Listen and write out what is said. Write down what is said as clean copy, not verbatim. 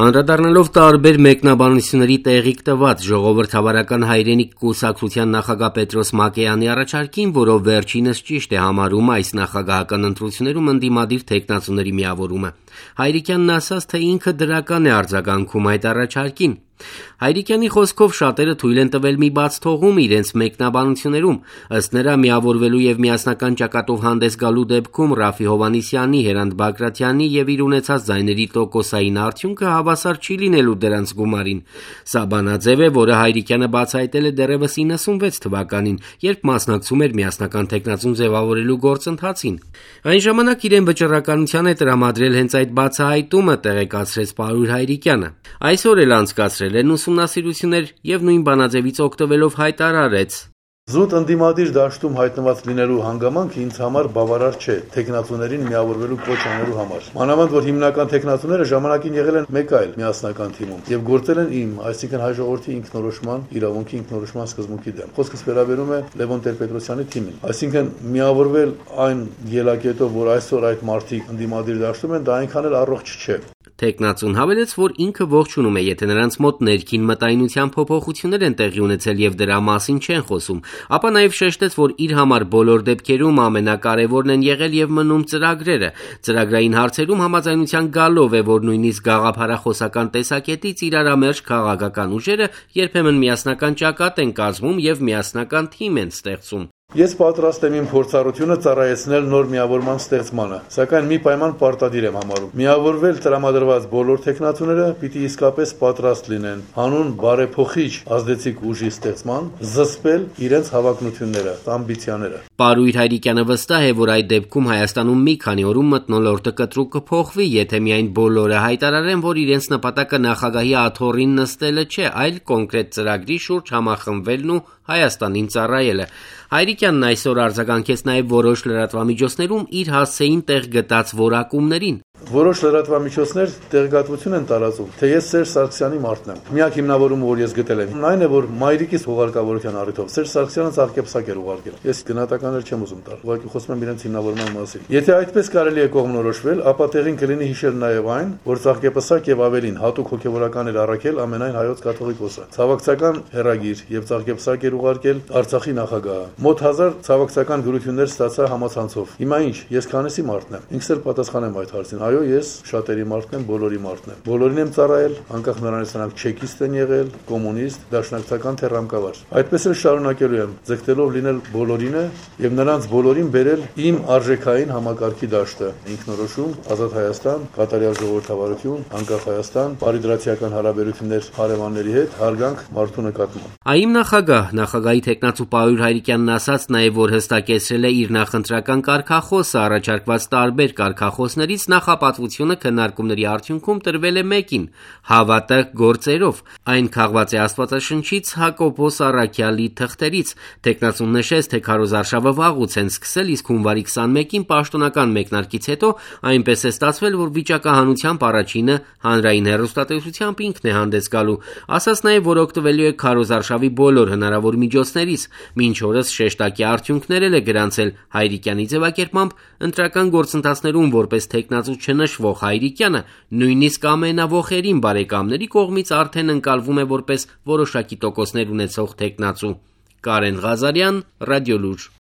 Անդրադառնալով տարբեր մեկնաբանությունների տեղիք տված ժողովրդավարական հայրենիք կուսակցության նախագահ Պետրոս Մակեյանի առաջարկին, որով վերջինս ճիշտ է համարում այս նախագահական ընտրություններում ընդդիմադիր թեկնածուների միավորումը, Հայրիկյանն ասաց, թե ինքը դրական է արձագանքում այդ առաջարկին։ Հայրիկյանի խոսքով շատերը թույլ են տվել մի բաց թողում իրենց մեկնաբանություններում, ըստ նրա միավորվելու եւ միասնական ճակատով հանդես գալու դեպքում Ռաֆի Հովհաննիսյանի, Հերանդ Բագրատյանի եւ իր ունեցած ձայների տոկոսային արդյունքը հավասար չի լինելու դրանց գումարին։ Սա բանաձև է, որը Հայրիկյանը բացահայտել է դեռևս 96 թվականին, երբ մասնակցում էր միասնական թեկնածուն ձևավորելու գործընթացին։ Այն ժամանակ իրեն վճռականության է տրամադրել հենց այդ բացահայտումը, տեղեկացրեց Պարույր Հայրիկյանը։ Այսօր էլ անցկացրել են ուսումնասիրություններ եւ նույն բանաձևից օգտվելով հայտարարեց. Զուտ ընդդիմադիր դաշտում հայտնված լինելու հանգամանքը ինձ համար բավարար չէ թեկնածուներին միավորվելու կոչ անելու համար։ Մանավանդ որ հիմնական թեկնածուները ժամանակին եղել են մեկ այլ միասնական թիմում եւ գործել են իմ, այսինքն հայ ժողովրդի ինքնորոշման իրավունքի ինքնորոշման սկզբունքի դեմ։ Խոսքս վերաբերում է Լևոն Տեր-Պետրոսյանի թիմին։ Այսինքն միավորվել այն ելակետով, որ այսօր այդ մարդիկ ընդդիմադիր դաշտում են, դա այնքան էլ առողջ չէ։ Թեկնածուն հավելեց, որ ինքը ողջունում է, եթե նրանց մոտ ներքին մտայնության փոփոխություններ են տեղի ունեցել եւ դրա մասին չեն խոսում, ապա նաեւ շեշտեց, որ իր համար բոլոր դեպքերում ամենակարևորն են եղել եւ մնում ծրագրերը։ Ծրագրային հարցերում համաձայնության գալով է, որ նույնիսկ գաղափարախոսական տեսակետից իրարամերժ քաղաքական ուժերը երբեմն միասնական ճակատ են կազմում եւ միասնական թիմ են ստեղծում։ Ես պատրաստ եմ իմ փորձառությունը ծառայեցնել նոր միավորման ստեղծմանը, սակայն մի պայման պարտադիր եմ համարում։ Միավորվել տրամադրված բոլոր թեկնածուները պիտի իսկապես պատրաստ լինեն հանուն բարեփոխիչ ազդեցիկ ուժի ստեղծման, զսպել իրենց հավակնությունները, ամբիցիաները։ Պարույր Հայրիկյանը վստահ է, որ այդ դեպքում Հայաստանում մի քանի օրում մթնոլորտը կտրուկ կփոխվի, եթե միայն բոլորը հայտարարեն, որ իրենց նպատակը նախագահի աթոռին նստելը չէ, այլ կոնկրետ ծրագրի շուրջ համախմբվելն ու Հայաստանին ծառայելը։ Հայրիկյանն այսօր արձագանքեց նաև որոշ լրատվամիջոցներում իր հասցեին տեղ գտած որակումներին։ Որոշ լրատվամիջոցներ տեղեկատվություն են տարածում, թե ես Սերժ Սարգսյանի մարդն եմ։ Միակ հիմնավորումը, որ ես գտել եմ, այն է, որ մայրիկիս հուղարկավորության առիթով Սերժ Սարգսյանը ծաղկեպսակ էր ուղարկել։ Ես գնահատականներ չեմ ուզում տալ, ուղղակի խոսում եմ իրենց հիմնավորման մասին։ Եթե այդպես կարելի է կողմնորոշվել, ապա տեղին կլինի հիշել նաև այն, որ ծաղկեպսակ եւ ավելին հատուկ հոգեվորական էր առաքել ամենայն հայոց կաթողիկոսը։ Ցավակցական հերագիր եւ ծաղկեպսակ էր ուղարկել Արցախի նախագահը։ Մոտ 1000 ցավակցական գրություններ ստացա համացանցով։ Հիմա ինչ, ես քանեսի մարդն եմ։ Ինքս էլ պատասխանեմ այդ հարցին։ Այո, ես շատերի մարդն եմ, բոլորի մարդն եմ։ Բոլորին եմ ծառայել, անկախ նրանից նրանք չեկիստ են եղել, կոմունիստ, դաշնակցական թե ռամկավար։ Այդպես էլ շարունակելու եմ, ձգտելով լինել բոլորինը եւ նրանց բոլորին բերել իմ արժեքային համակարգի դաշտը։ Ինքնորոշում, ազատ Հայաստան, կատարյալ ժողովրդավարություն, անկախ Հայաստան, բարիդրացիական հարաբերություններ հարևանների հետ, հարգանք մարդու նկատմամբ։ ԱԻՄ նախագահի թեկնածու Պարույր Հայրիկյանն ասաց նաև, որ հստակեցրել է իր նախընտրական կարգախոսը, առաջարկված տարբեր կարգախոսներից նախապատվությունը քննարկումների արդյունքում տրվել է մեկին՝ հավատը գործերով։ Այն քաղված է Աստվածաշնչից, Հակոբոս Առաքյալի թղթերից։ Թեկնածուն նշեց, թե քարոզարշավը վաղուց են սկսել, իսկ հունվարի 21-ին պաշտոնական մեկնարկից հետո այնպես է ստացվել, որ վիճակահանությամբ առաջինը հանրային հեռուստատեսությամբ ինքն է հանդես գալու։ Ասաց նաև, որ օգտվելու է քարոզարշավի բոլոր հնարավոր միջոցներից։ Մինչ օրս շեշտակի արդյունքներ է գրանցել Հայրիկյանի ձևակերպմամբ ընտրական գործընթացներում որպես թեկնածու չնշվող Հայրիկյանը նույնիսկ ամենավոխերին բարեկամների կողմից արդեն ընկալվում է որպես որոշակի տոկոսներ ունեցող թեկնածու։ Կարեն Ղազարյան, Ռադիոլուր։